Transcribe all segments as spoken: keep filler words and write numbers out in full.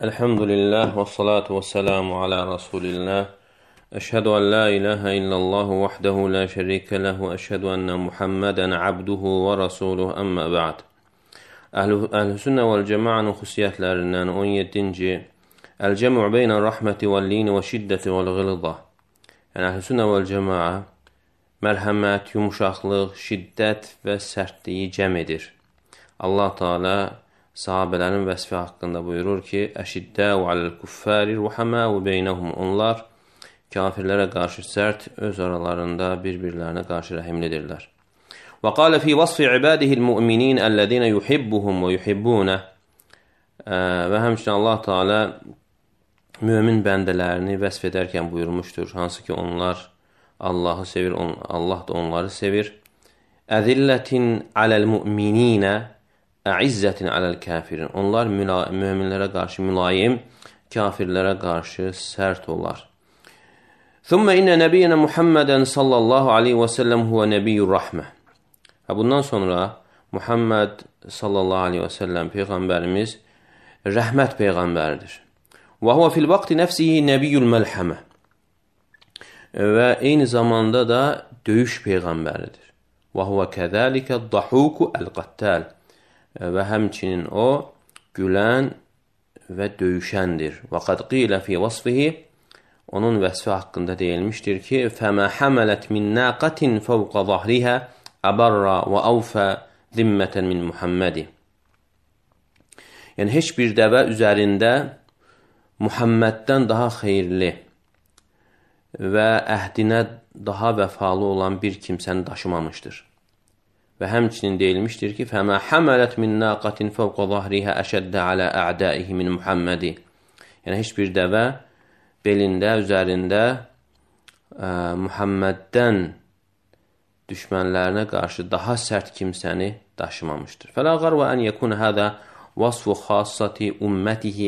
Elhamdülillah və salatu və selamu alə Rasulillah. Əşhədu ən la ilahə illəllahu vahdehu la şərikə ləhu. Əşhədu ənə Muhammədən abduhu və rasuluhu əmmə bə'd. Əhl-i sünnə vəl-cəmaənin xüsusiyyətlərindən on yeddinci Əl-cəm'u beynə rəhməti vəl-lini və şiddəti vəl-ğılda. Yəni, əhl-i sünnə vəl-cəmaə mərhəmət, yumuşaqlıq, şiddət və sərtliyi cəm edir. Allah Teala sahabələrin vəsfi haqqında buyurur ki, Əşiddəu aləl-kuffəri ruhəməu beynəhum. Onlar kafirlərə qarşı sərt, öz aralarında bir-birlərinə qarşı rəhimlidirlər. Və qalə fi vasfi ibadihil mu'minin əlləzinə yuhibbuhum və yuhibbunə. Və həmçinin Allah Teala mümin bəndələrini vəsf edərkən buyurmuşdur, hansı ki onlar Allahı sevir, Allah da onları sevir. Əzillətin aləl-mu'mininə Əizzətin aləl-kafirin. Onlar müminlərə qarşı mülayim, kafirlərə qarşı sərt olar. Thumma inna nəbiyyənə Muhammədən sallallahu aleyhi və səlləm huvə nəbiyyur rəhmə. Bundan sonra Muhammed sallallahu aleyhi və səlləm Peyğəmbərimiz rəhmət Peyğəmbəridir. Və huvə fil vaxti nəfsihi nəbiyyül məlhəmə. Və eyni zamanda da döyüş Peyğəmbəridir. Və huvə kəzəlikə dahuku əl-qattal. Və həmçinin o, gülən və döyüşəndir. Və qad qilə fi vasfihi, onun vəsfi haqqında deyilmişdir ki, fəmə həmələt min naqatin fəvqa zahrihə əbərra və əvfə zimmətən min Muhammədi. Yəni, heç bir dəvə üzərində Muhamməddən daha xeyirli və əhdinə daha vəfalı olan bir kimsəni daşımamışdır. Və həmçinin deyilmişdir ki, فَمَا حَمَلَتْ مِنْ نَاقَةٍ فَوْقَ ظَهْرِهَا أَشَدَّ عَلَى أَعْدَائِهِ مِنْ مُحَمَّدِ. Yəni, heç bir dəvə belində, üzərində ə, Muhamməddən düşmənlərinə qarşı daha sərt kimsəni daşımamışdır. فَلَا غَرْوَ أَنْ يَكُنَ هَذَا وَصْفُ خَاصَّةِ أُمَّتِهِ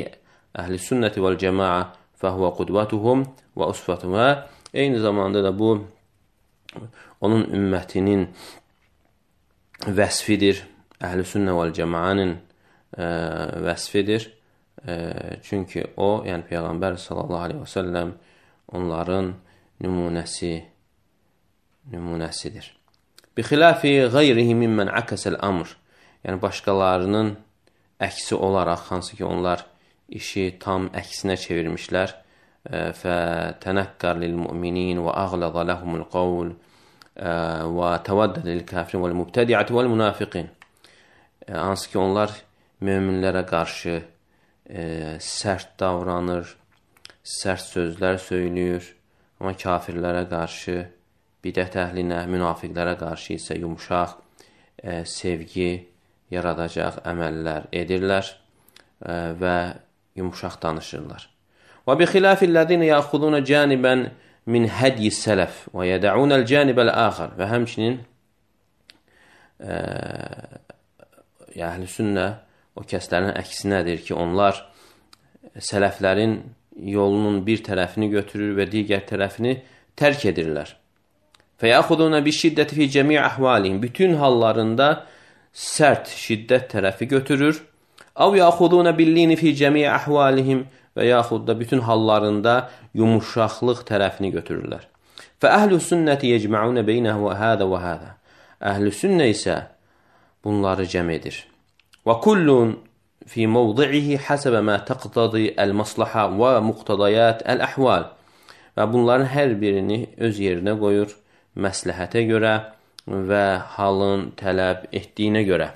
أَهْلِ السُنَّةِ وَالْجَمَاعَةِ فَهُوَ قُدْوَتُهُمْ وَأُسْفَتُهُمْ. Eyni zamanda da bu, onun ümmətinin vəsfidir, əhl-i sünnə vəl-cəmaənin vəsfidir. E, çünki o, yəni Peyğəmbər sallallahu aleyhi və səlləm onların nümunəsi, nümunəsidir. Bixilafi qeyrihi mimmən əkəsəl əmr. Yəni, başqalarının əksi olaraq, hansı ki, onlar işi tam əksinə çevirmişlər. Fətənəkkər lil-müminin və əğlədə ləhumul qavl və təvəddəd lil-kafirin vəl-mübtədiyyəti vəl-münafiqin. Hansı ki, onlar möminlərə qarşı e, sərt davranır, sərt sözlər söylüyor, amma kafirlərə qarşı, bidət əhlinə, münafiqlərə qarşı isə yumuşaq, e, sevgi yaradacaq əməllər edirlər e, və yumuşaq danışırlar. Və bi xilafillədinə yaxuduna canibən min hədyi sələf və yədəunəl canibəl əxər. Və həmçinin e, əhl-i sünnə o kəslərin əksinədir ki, onlar sələflərin yolunun bir tərəfini götürür və digər tərəfini tərk edirlər. Fəyəxuduna bi şiddəti fi cəmi əhvalihim. Bütün hallarında sərt, şiddət tərəfi götürür. Əv yaxuduna billini fi cəmi əhvalihim. Və yaxud da bütün hallarında yumuşaqlıq tərəfini götürürlər. Fə əhl-i sünnəti yecməunə beynəhu və hədə və hədə. Əhl-i sünnə isə bunları cəm edir. Və kullun fi mövdi'ihi həsəbə mə təqtədi əl-maslaha və muqtadayat əl-əhval. Və bunların hər birini öz yerinə qoyur, məsləhətə görə və halın tələb etdiyinə görə.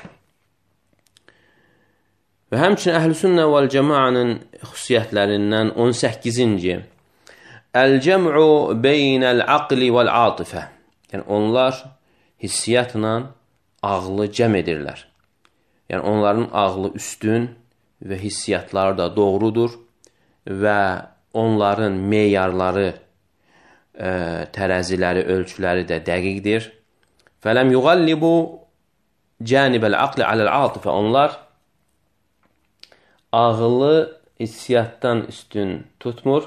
Və həmçinin əhl-i sünnə vəl-cəmaənin xüsusiyyətlərindən on səkkizinci Əl-cəm'u beynəl-aqli vəl-atifə. Yəni, onlar hissiyatla ağlı cəm edirlər. Yəni, onların ağlı üstün və hissiyatları da doğrudur və onların meyarları, ə, tərəziləri, ölçüləri də dəqiqdir. Fələm yuğallibu canibəl-aqli aləl-atifə. Onlar ağılı hissiyatdan üstün tutmur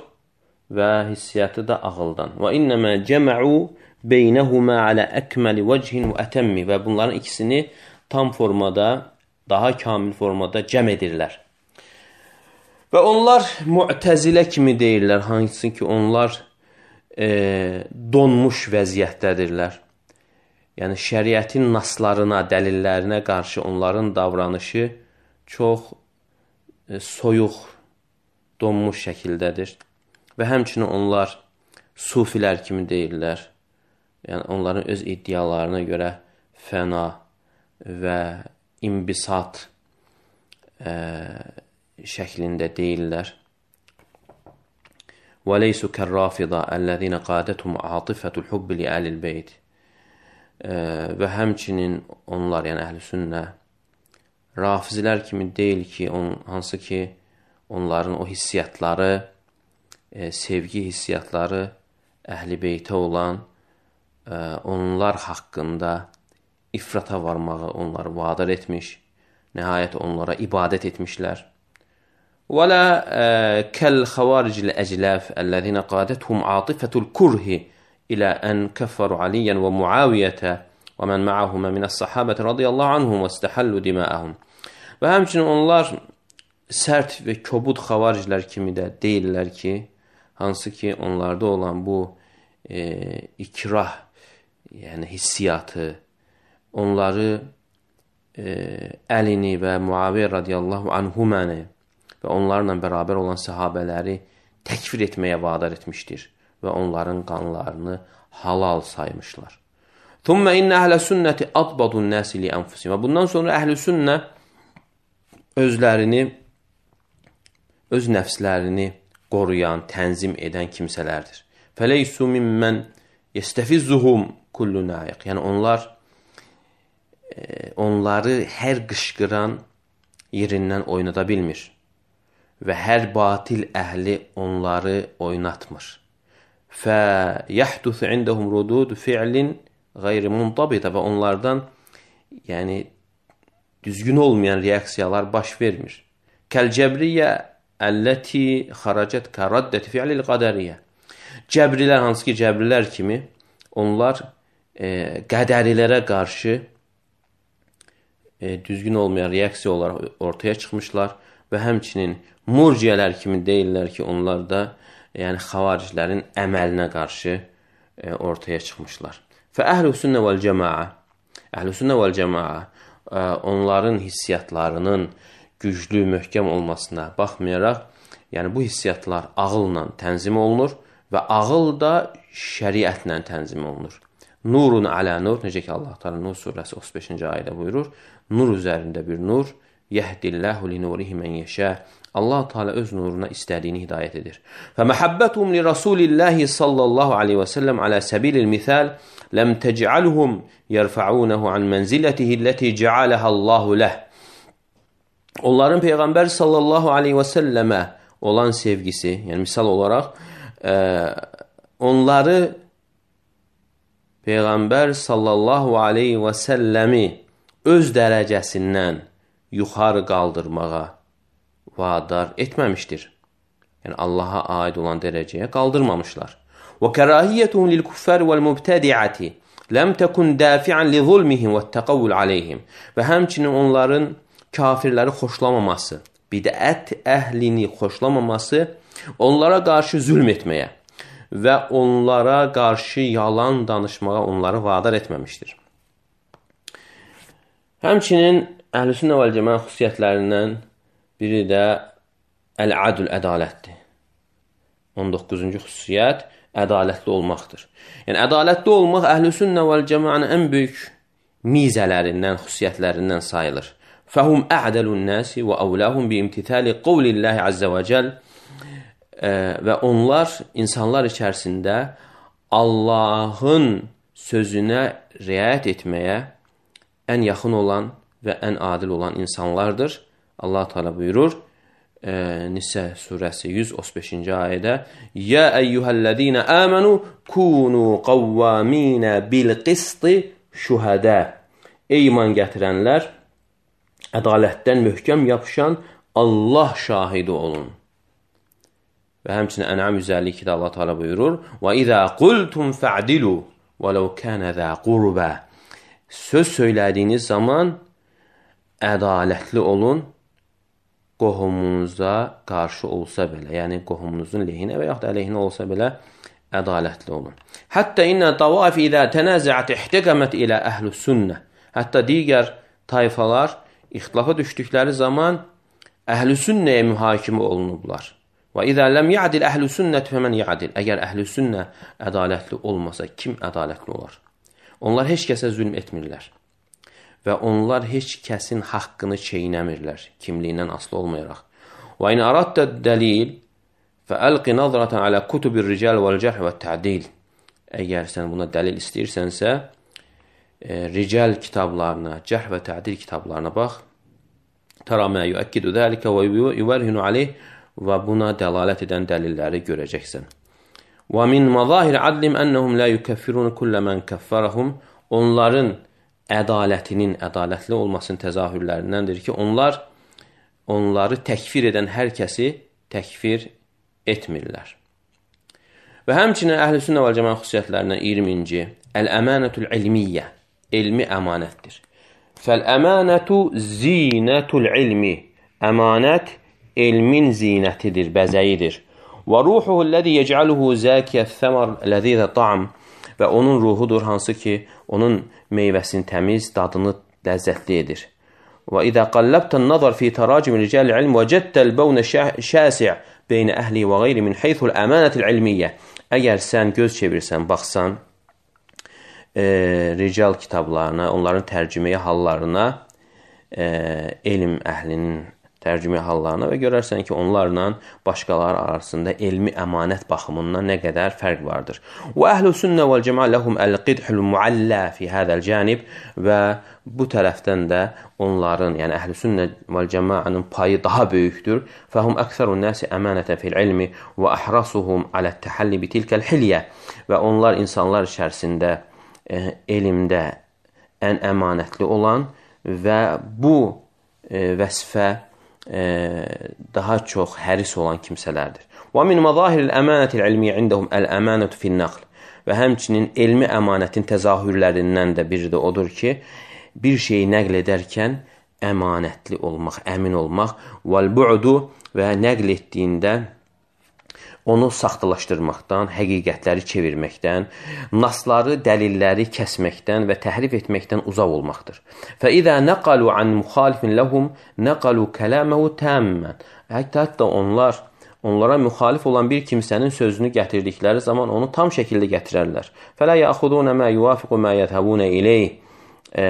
və hissiyatı da ağıldan. Və innəmə cəmə'u beynəhumə alə əkməli vəcihin və ətəmmi. Və bunların ikisini tam formada, daha kamil formada cəm edirlər. Və onlar Mu'təzilə kimi deyirlər, hansı ki onlar e, donmuş vəziyyətdədirlər. Yəni şəriətin naslarına, dəlillərinə qarşı onların davranışı çox e, soyuq, donmuş şəkildədir. Və həmçinin onlar sufilər kimi deyirlər. Yəni onların öz iddialarına görə fəna və imbisat e, şəklində deyirlər. وَلَيْسُ كَالرَّافِضَةِ الَّذِينَ قَادَتْهُمْ عَاطِفَةُ الْحُبِّ لِأَهْلِ الْبَيْتِ Və həmçinin onlar, yəni əhl-i sünnə, rafizlər kimi deyil ki, on, hansı ki, onların o hissiyatları, e, sevgi hissiyatları əhl-i beytə olan, e, onlar haqqında ifrata varmağı onları vadar etmiş, nəhayət onlara ibadət etmişlər. وَلَا كَالْخَوَارِجِ الْأَجْلَافِ الَّذِينَ قَادَتْهُمْ عَاطِفَةُ الْكُرْهِ إلى أن كفروا عليا ومعاوية ومن معهما من الصحابة رضي الله عنهم واستحلوا دماءهم. Və həmçinin onlar sərt və kobud xavariclər kimi də deyirlər ki, hansı ki onlarda olan bu e, ikrah, yəni hissiyatı, onları e, Əlini və Muaviyyə radiyallahu anhuməni və onlarla bərabər olan sahabələri təkfir etməyə vadar etmişdir və onların qanlarını halal saymışlar. Thumma inna əhl-i sünnəti adbadun nəsi li ənfusim. Və bundan sonra əhl-i sünnə özlərini, öz nəfslərini qoruyan, tənzim edən kimsələrdir. Fəleysu mimmən yestəfizzuhum kullu nayiq. Yəni onlar e, onları hər qışqıran yerindən oynada bilmir və hər batil əhli onları oynatmır. فَيَحْدُثُ عِنْدَهُمْ رُدُودُ فِعْلٍ غَيْرِ مُنْطَبِطَ Və onlardan yəni düzgün olmayan reaksiyalar baş vermir. Kəl-cəbriyyə əlləti xaracət kəraddəti fi'lil qədəriyyə. Cəbrilər, hansı ki cəbrilər kimi, onlar e, qədərilərə qarşı e, düzgün olmayan reaksiya olaraq ortaya çıxmışlar və həmçinin murciyələr kimi deyirlər ki, onlar da yəni xavariclərin əməlinə qarşı e, ortaya çıxmışlar. Fə əhl-i sünnə vəl-cəmaə, əhl-i sünnə vəl-cəmaə e, onların hissiyatlarının güclü, möhkəm olmasına baxmayaraq, yəni bu hissiyatlar ağılla tənzim olunur və ağıl da şəriətlə tənzim olunur. Nurun alə nur, necə ki Allah Teala Nur surəsi otuz beşinci ayədə buyurur, nur üzərində bir nur, yehdillahu li nurihi men yeşə. Allah Teala öz nuruna istədiyini hidayət edir. Və məhəbbətum li Rasulillahi sallallahu aleyhi və səlləm alə səbilil mithal ləm təc'alhum yərfa'unahu an mənzilətihi ləti cəaləhə Allahu ləh. Onların Peyğəmbər sallallahu aleyhi və səlləmə olan sevgisi, yəni misal olaraq, e, onları Peyğəmbər sallallahu aleyhi və səlləmi öz dərəcəsindən yuxarı qaldırmağa vadar etməmişdir. Yəni Allaha aid olan dərəcəyə qaldırmamışlar. Və kərahiyyətuhum lil kuffar vəl mubtədi'ati ləm təkun dafi'an li zulmihim və təqavvül aleyhim. Və həmçinin onların kafirləri xoşlamaması, bidət əhlini xoşlamaması onlara qarşı zülm etməyə və onlara qarşı yalan danışmağa onları vadar etməmişdir. Həmçinin Əhl-i Sünnə vəl Cəmaə xüsusiyyətlərindən biri də əl-adl, ədalətdir. on doqquzuncu xüsusiyyət ədalətli olmaqdır. Yəni ədalətli olmaq Əhl-i Sünnə vəl Cəmaənin ən böyük mizələrindən, xüsusiyyətlərindən sayılır. Fəhum a'dalun nasi və avlahum bi imtithali qavlillahi azza və cəl. Və onlar insanlar içərisində Allahın sözünə riayət etməyə ən yaxın olan və ən adil olan insanlardır. Allah Teala buyurur e, Nisə surəsi yüz otuz beşinci ayədə: "Ya eyyuhellezine amenu kunu qawwamina bil qisti şuhada." Ey iman gətirənlər, ədalətdən möhkəm yapışan Allah şahidi olun. Və həmçinin Ən'am yüz əlli ikidə Allah Teala buyurur: "Və izə qultum fa'dilu vələv kana za qurba." Söz söylədiyiniz zaman ədalətli olun, qohumunuza qarşı olsa belə, yəni qohumunuzun lehinə və yaxud da əleyhinə olsa belə ədalətli olun. Hətta innə tavafi idə tənəzəət ihtəqəmət ilə əhlü sünnə. Hətta digər tayfalar ixtilafa düşdükləri zaman əhl-i sünnəyə mühakimə olunublar. Və idə ləm ya'dil əhl-i sünnət fəmən ya'dil. Əgər əhl-i sünnə ədalətli olmasa, kim ədalətli olar? Onlar heç kəsə zülm etmirlər. Və onlar heç kəsin haqqını çeynəmirlər, kimliyindən asılı olmayaraq. Və in araddə dəlil fəəlqi nazratan alə kutubir rical vəl-cərh və tə'dil. Əgər sən buna dəlil istəyirsənsə, e, rical kitablarına, cərh və tə'dil kitablarına bax. Tara mə yuəkkidu dəlikə və yuvərhinu aleyh və buna dəlalət edən dəlilləri görəcəksən. Və min mazahir adlim ennəhum la yukəffirun kullə mən kəffərəhum. Onların ədalətinin, ədalətli olmasının təzahürlərindəndir ki, onlar onları təkfir edən hər kəsi təkfir etmirlər. Və həmçinin əhl-i sünnə vəl cəmaə xüsusiyyətlərindən iyirminci. Əl-əmanətul ilmiyyə. Elmi əmanətdir. Fəl-əmanətu zinətul ilmi. Əmanət elmin zinətidir, bəzəyidir. Və ruhuhu ləzi yec'aluhu zəkiyyət thəmər ləzizə ta'am. Və onun ruhudur, hansı ki, onun meyvəsini təmiz, dadını ləzzətli edir. Və idə qalləbtən nazar fi təracim ricəl ilm və cəddəl bəvnə şəsi' beynə əhli və qeyri min heythul əmanətil ilmiyyə. Əgər sən göz çevirsən, baxsan, e, rical kitablarına, onların tərcüməyə hallarına, e, elm əhlinin tərcüməyə hallarına və görərsən ki, onlarla başqaları arasında elmi əmanət baxımından nə qədər fərq vardır. Və əhl-i sünnə vəl cəmaə ləhum əl-qidhul muallə fi hədəl cənib. Və bu tərəfdən də onların, yəni əhl-i sünnə vəl cəmaənin payı daha böyükdür. Fəhum əksərun nəsi əmanətən fil ilmi və əhrasuhum alət təhəlli bitilkəl hilyə. Və onlar insanlar içərisində e, elmdə ən əmanətli olan və bu e, vəsfə e, daha çox həris olan kimsələrdir. Və min mazahiril əmanətil ilmiyyə indəhum əl-əmanətu fin-naql. Və həmçinin elmi əmanətin təzahürlərindən də biri də odur ki, bir şeyi nəql edərkən əmanətli olmaq, əmin olmaq, vəl-bu'du və nəql etdiyində onu saxtalaşdırmaqdan, həqiqətləri çevirməkdən, nasları, dəlilləri kəsməkdən və təhrif etməkdən uzaq olmaqdır. Fəidə nəqalu an müxalifin ləhum nəqalu kələməhu təmmən. Hətta, hətta onlar, onlara müxalif olan bir kimsənin sözünü gətirdikləri zaman onu tam şəkildə gətirərlər. Fələ yəxudunə mə yuvafiqu mə yədhəbunə ileyh. E,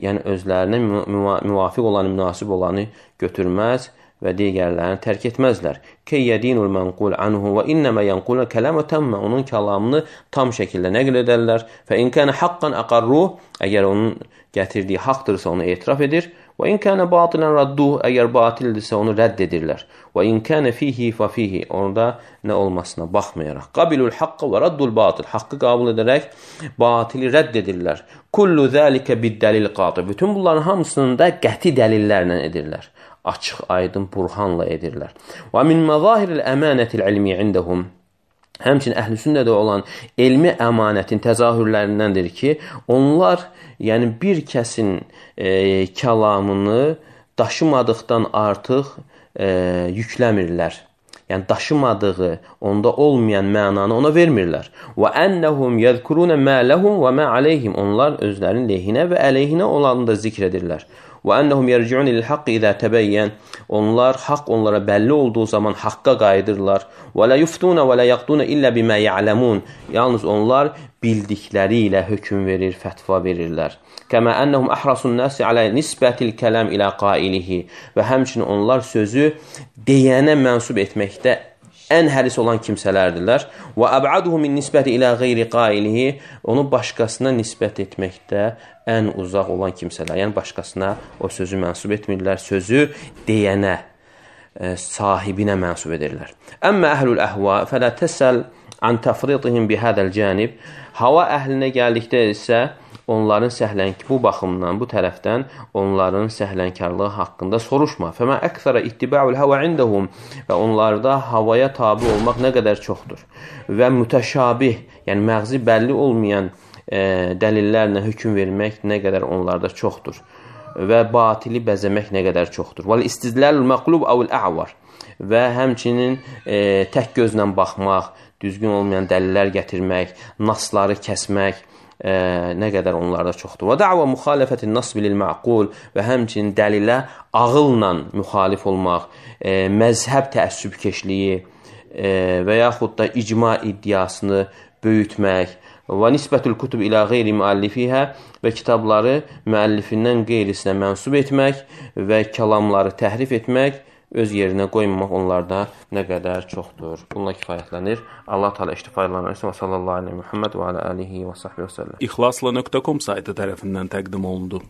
yəni özlərinə müvafiq olanı, münasib olanı götürməz və digərlərini tərk etməzlər. Keyyədinul mənqul anhu və innəmə yənqulun kələmə təmmə. Onun kəlamını tam şəkildə nəql edərlər. Fə in kənə haqqan əqarruh. Əgər onun gətirdiyi haqdırsa onu etiraf edir. Və in kənə batilən radduh. Əgər batildirsə onu rədd edirlər. Və in kənə fihi fə fihi. Orada nə olmasına baxmayaraq. Qabilul haqqı və raddul batil. Haqqı qabul edərək batili rədd edirlər. Kullu zəlikə bid-dəlil qatı. Bütün bunların hamısını da qəti dəlillərlə edirlər. Açıq, aydın, burhanla edirlər. Və min məzahiril əmanətil ilmiyyə indəhum. Həmçinin əhl-i sünnədə olan elmi əmanətin təzahürlərindəndir ki, onlar yəni bir kəsin e, kəlamını daşımadıqdan artıq e, yükləmirlər. Yəni daşımadığı, onda olmayan mənanı ona vermirlər. Və ennəhum yəzkuruna mə ləhum və mə aleyhim. Onlar özlərinin lehinə və əleyhinə olanı da zikr edirlər. Və ennəhum yerciun ilil haqqı idə təbəyyən. Onlar, haqq onlara bəlli olduğu zaman haqqa qayıdırlar. Və lə yuftuna və lə yaqduna illə bimə ya'ləmun. Yalnız onlar bildikləri ilə hökm verir, fətva verirlər. Kəmə ennəhum əhrasun nəsi alə nisbətil kələm ilə qailihi. Və həmçinin onlar sözü deyənə mənsub etməkdə ən həris olan kimsələrdirlər. Və əb'aduhu min nisbəti ilə qeyri qailihi. Onu başqasına nisbət etməkdə ən uzaq olan kimsələr. Yəni başqasına o sözü mənsub etmirlər. Sözü deyənə, e, sahibinə mənsub edirlər. Əmmə əhlul əhva fələ təsəl an təfridihim bihədəl cənib. Hava əhlinə gəldikdə isə onların səhlənki bu baxımdan, bu tərəfdən onların səhlənkarlığı haqqında soruşma. Fəmə əksərə ittiba'ul hava indəhum. Və onlarda havaya tabi olmaq nə qədər çoxdur. Və mütəşabih, yəni məğzi bəlli olmayan e, dəlillərlə hökm vermək nə qədər onlarda çoxdur. və batili bəzəmək nə qədər çoxdur. Vəl istidlalul məqlub əvl ə'var və həmçinin e, tək gözlə baxmaq, düzgün olmayan dəlillər gətirmək, nasları kəsmək e, nə qədər onlarda çoxdur. Və da'va müxalifətin nas bil ma'qul və həmçinin dəlilə ağılla müxalif olmaq, e, məzhəb təəssübkeşliyi e, və yaxud da icma iddiasını böyütmək və nisbətül kutub ilə qeyri müəllifihə və kitabları müəllifindən qeyrisinə mənsub etmək və kəlamları təhrif etmək, öz yerinə qoymamaq onlarda nə qədər çoxdur. Bununla kifayətlənir. Allah Teala iştifayətlənir. Və sallallahu aleyhi və Muhammed və alə alihi və sahbihi və səlləm. İxlasla nöqtə com saytı tərəfindən təqdim olundu.